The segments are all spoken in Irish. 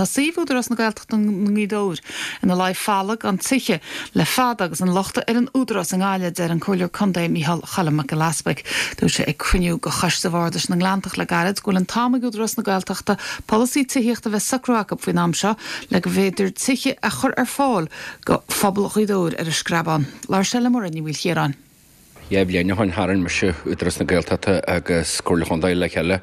Tá suíomh Údarás na Gaeltachta i nGaoth Dobhair ina luí folamh gan tithe le fada agus an locht ar an Údarás i nGaillimh, a deir an Comhairleoir Contae Micheál Choilm Mac Giolla Easpaig. Dúirt sé ag cruinniú de Choiste Bhardais na nGleanntach le gairid go bhfuil an t-am ag Údarás na Gaeltachta polasaí tithíochta a bheith socraithe acu faoin am seo le go bhféidir tithe a chur ar fáil go phobal Ghaoth Dobhair ar an Screabán. Labhair sé le Muireann Ní Mhaoilchiaráin. Dheich mbliain ó shoin tharraing mise Údarás na Gaeltachta agus Comhairle Chontae le chéile.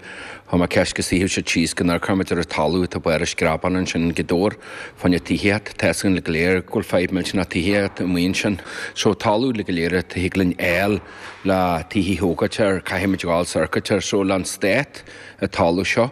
Chuir mé ceist go suífeadh siad síos go n-amharcfadh muid ar an talamh atá barr an Screabáin ansin i nGaoth Dobhair fá choinne tithíocht. Tá fhios againn go léir go bhfuil fadhb millteanach tithíocht amuigh ansin. So talamh le go léir a thig linn fháil le tithe a thógáilt air, caithfidh muid a ghabháil is amharc air. So leis an stát an talamh seo.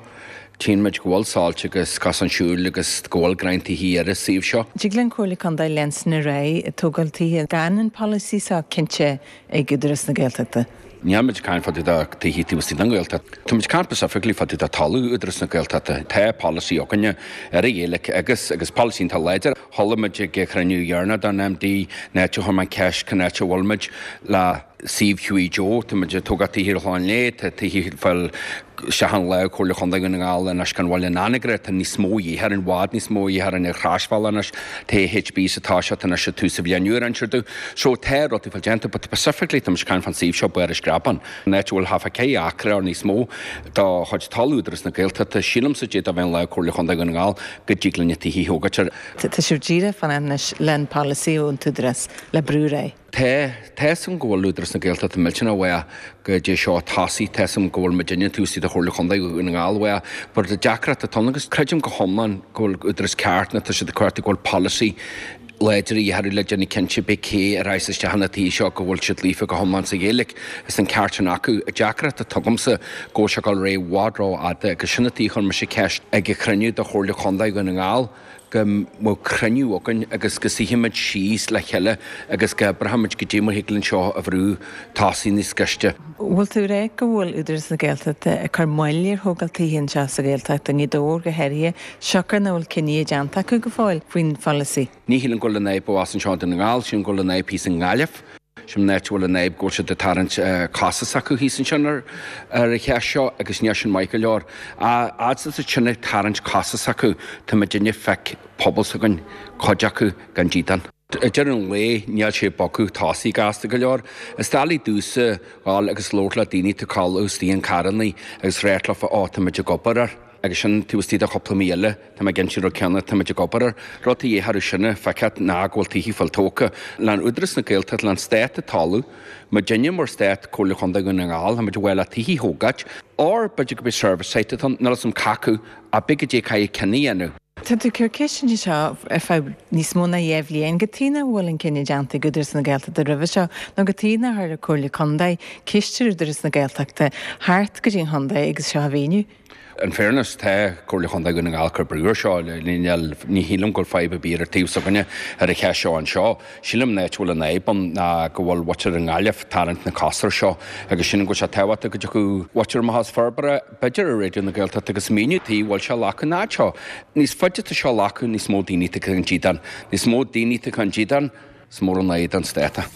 Tchíonn muid go bhfuil soilse agus cosán siúil agus go bhfuil greantaithe ar an suíomh seo. Dtig le an Comhairle Contae leanstan ar aghaidh ag tógáil tithe gan an polasaí seo cinnte ag Údarás na Gaeltachta. Níl muid ag caint fá dtaobh de tithe taobh istigh den Ghaeltacht. Tá muid ag caint specifically fá dtaobh de talamh Údarás na Gaeltachta. Tá polasaí againne ar an Ghaeilge agus agus polasaí iontach láidir. Chuala muid ag an chruinniú dheireanach don MD an áit a chuir mé an ceist cén áit a bhfuil muid le suíomh Hughie Joe, tá muid ag tógáil tithe ar Chlochán Léith, tá tithe ag fáil isteach in lámh Chomhairle Chontae Dhún na nGall anois gan Bhaile an Anagaire, tá níos mó dhíth orainn, i bhfad níos mó dhíth orainn ar Chroisbhealach anois, tá AHB sa toiseacht anois ag tús an bhliain úr insear So tá rudaí fáil déanta but specifically tá muid ag caint fán suíomh seo Barr an Screabáin, an áit a bhfuil half a ceithre acra or níos mó de chuid talamh Údarás na Gaeltachta, sílimse d'fhéadfadh a bheith in lámh Chomhairle Chontae Dhún na nGall go dtig linn na tithe a thógáilt air. Tá sibh díreach fanacht anois le an polasaí ón t-údarás le brú ar aghaidh. Tá. Tá fhios agam go bhfuil Údarás na Gaeltachta millteanach uaidh go dtí seo tosaigh. Tá fhios agam go bhfuil muidinne taobh istigh de Chomhairle Chontae Dhún na nGall uaidh. But an deacracht atá ann agus creidim go hiomlán go bhfuil údarás ceart nó tá siad ag cuartú go bhfuil polasaí láidir a dhearadh le déanamh cinnte pé cé a raghas isteach ina tithe seo go bhfuil siad líofa go hiomlán sa Ghaeilge. Is an ceart sin acu. An deacracht atá agamsa go bhfuil sé ag dul ar aghaidh i bhfad ró-fhada agus sin an tuige a chuir mise ceist ag an chruinniú de Chomhairle Chontae Dhún na nGall go mbeadh cruinniú againn agus go suífimid síos le chéile agus go oibreoimid goidé mar thig linn seo a bhrú tosaigh níos gaiste. Bhfuil tú ag rá go bhfuil Údarás na Gaeltachta ag cur moill ar thógáil tithe anseo sa Ghaeltacht, i nGaoth Dobhair go háirithe, siocair nach bhfuil cinneadh déanta acu go fóill faoin pholasaí? Ní shílim go bhfuil an fhadhb abhus anseo i nDún na nGall, sílim go bhfuil an fhadhb thíos i nGaillimh. Sin an áit a bhfuil an fhadhb go bhfuil siad ag tarraingt cosa s'acu thíos ansin ar an cheist seo agus níl sin maith go leor. A fhad is atá sin ag tarraingt cosa s'acu, tá muidinne ag feic pobal s'againn, cuid acu gan dídean. Ag deireadh an lae, níl sé ag bogadh tosaigh gasta go leor. Is doiligh domhsa dhul agus labhairt le daoine atá ag codladh istigh in carrannaí agus ráit leofa, ó, tá muid ag obair air. Agus sin taobh istigh de chúpla mí eile, tá mé ag insint an rud céanna, tá muid ag obair air. Rud a dhéarfadh sinne, feiceáil ná go bhfuil tithe fáil tógtha. Le Údarás na Gaeltachta, le an stát ag toiliú, muidinne mar stát, Comhairle Chontae Dhún na nGall, tá muid ag fáil le tithe a thógáilt. Or b'fhéidir go mbeidh service site atá ann, níl fhios a'm c'acu, ach beidh goidé caithfidh cinneadh a dhéanamh. Tá tú ag cur ceisteanna seo ar feadh níos mó ná dheich bhliain. Cad tuige nach bhfuil an cinneadh déanta ag Údarás na Gaeltachta roimhe seo nó cad tuige nár chuir an Comhairle Contae ceist ar Údarás na Gaeltachta theacht go dtí an chontae agus seo a mhíniú? In fairness, tá Comhairle Chontae Dhún na nGall ag cur brú air seo. Ní shílim go bhfuil fadhb ar bith ar an taobh s'againne ar an cheist seo anseo. Sílim an áit a bhfuil an fhadhb ann ná go bhfuil muintir i nGaillimh ag tarraingt na cos air seo agus sílim go bhfuil sé tábhachtach go dtiocfadh muintir amach as Forbartha, b'fhéidir ar Raidió na Gaeltachta agus míniú tuige a bhfuil sé ag glacadh an fhaid seo. Níos faide atá seo ag glacadh, níos mó daoine atá gan dídean. Níos mó daoine atá gan dídean, is mór an fhadhb don stát é.